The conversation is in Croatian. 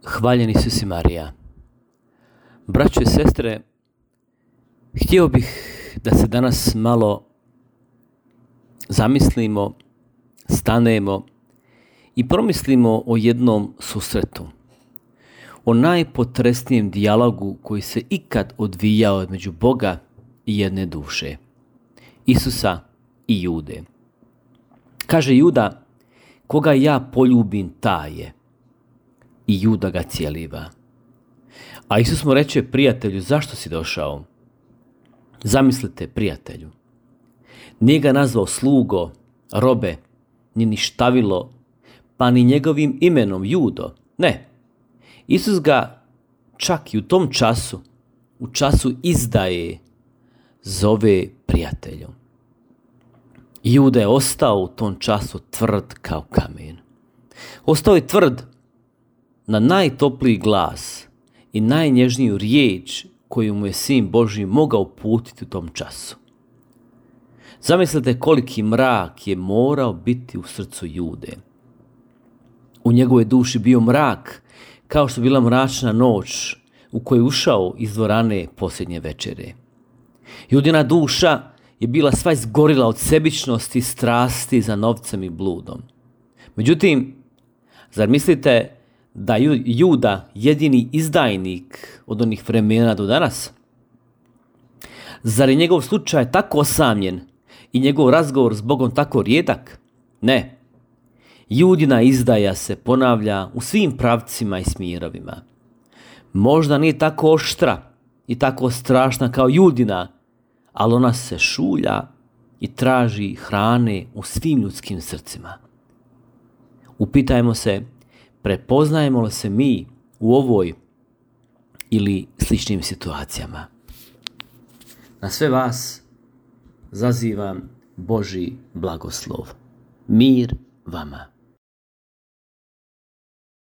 Hvaljeni Isus i Marija. Braćo i sestre, htio bih da se danas malo zamislimo, stanemo i promislimo o jednom susretu. O najpotresnijem dijalogu koji se ikad odvijao između Boga i jedne duše. Isusa i Jude. Kaže Juda, koga ja poljubim taj je. I Juda ga cijeliva. A Isus mu reče, prijatelju, zašto si došao? Zamislite, prijatelju. Nije ga nazvao slugo, robe, ni ništavilo, pa ni njegovim imenom Judo. Ne. Isus ga čak i u tom času, u času izdaje, zove prijateljom. Juda je ostao u tom času tvrd kao kamen. Ostao je tvrd na najtopliji glas i najnježniju riječ koju mu je Sin Božji mogao uputiti u tom času. Zamislite koliki mrak je morao biti u srcu Jude. U njegovoj duši bio mrak, kao što bila mračna noć u koju je ušao iz dvorane posljednje večere. Judina duša je bila sva izgorila od sebičnosti i strasti za novcem i bludom. Međutim, zar mislite da Juda jedini izdajnik od onih vremena do danas? Zar je njegov slučaj tako osamljen i njegov razgovor s Bogom tako rijedak? Ne. Judina izdaja se ponavlja u svim pravcima i smjerovima. Možda nije tako oštra i tako strašna kao Judina, ali ona se šulja i traži hrane u svim ljudskim srcima. Upitajmo se, prepoznajemo li se mi u ovoj ili sličnim situacijama? Na sve vas zazivam Božji blagoslov. Mir vama.